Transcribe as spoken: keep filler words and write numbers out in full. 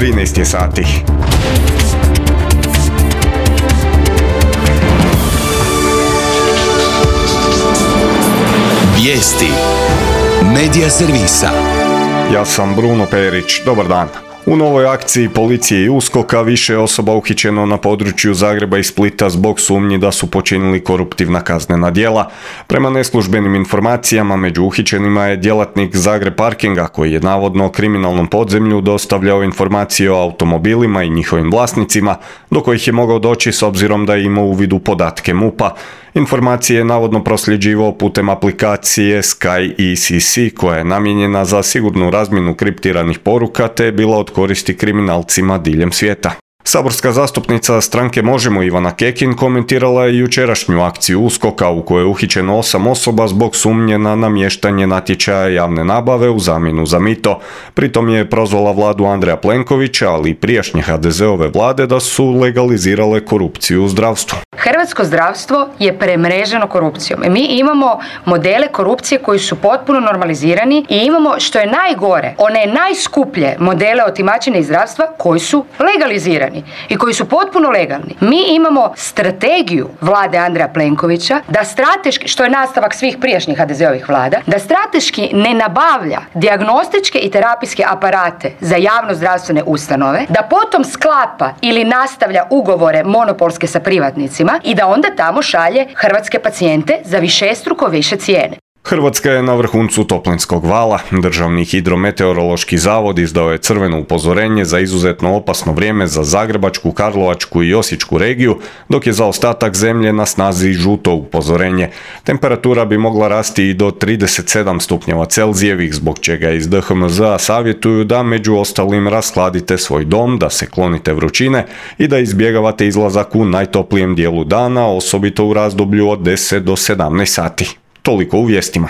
trinaest je sati. Vijesti Medija servisa. Ja sam Bruno Perić, dobar dan. U novoj akciji policije i uskoka više je osoba uhićeno na području Zagreba i Splita zbog sumnji da su počinili koruptivna kaznena djela. Prema neslužbenim informacijama među uhićenima je djelatnik Zagreb Parkinga koji je navodno kriminalnom podzemlju dostavljao informacije o automobilima i njihovim vlasnicima, do kojih je mogao doći s obzirom da je imao uvid u podatke MUP-a. Informacije je navodno prosljeđivao putem aplikacije Sky E C C koja je namijenjena za sigurnu razmjenu kriptiranih poruka te je bila od koristi kriminalcima diljem svijeta. Saborska zastupnica stranke Možemo Ivana Kekin komentirala je jučerašnju akciju uskoka u kojoj je uhićeno osam osoba zbog sumnje na namještanje natječaja javne nabave u zamjenu za mito. Pritom je prozvala vladu Andreja Plenkovića, ali i prijašnje ha de zeove vlade da su legalizirale korupciju u zdravstvu. Hrvatsko zdravstvo je premreženo korupcijom. Mi imamo modele korupcije koji su potpuno normalizirani i imamo, što je najgore, one najskuplje modele otimačine iz zdravstva koji su legalizirani i koji su potpuno legalni. Mi imamo strategiju vlade Andreja Plenkovića da strateški, što je nastavak svih prijašnjih ha de zeovih vlada, da strateški ne nabavlja dijagnostičke i terapijske aparate za javno zdravstvene ustanove, da potom sklapa ili nastavlja ugovore monopolske sa privatnicima i da onda tamo šalje hrvatske pacijente za višestruko više cijene. Hrvatska je na vrhuncu toplinskog vala. Državni hidrometeorološki zavod izdao je crveno upozorenje za izuzetno opasno vrijeme za Zagrebačku, Karlovačku i Osječku regiju, dok je za ostatak zemlje na snazi žuto upozorenje. Temperatura bi mogla rasti i do trideset sedam stupnjeva Celzijevih, zbog čega iz de ha em ze-a savjetuju da među ostalim rashladite svoj dom, da se klonite vrućine i da izbjegavate izlazak u najtoplijem dijelu dana, osobito u razdoblju od deset do sedamnaest sati. Toliko u vijestima.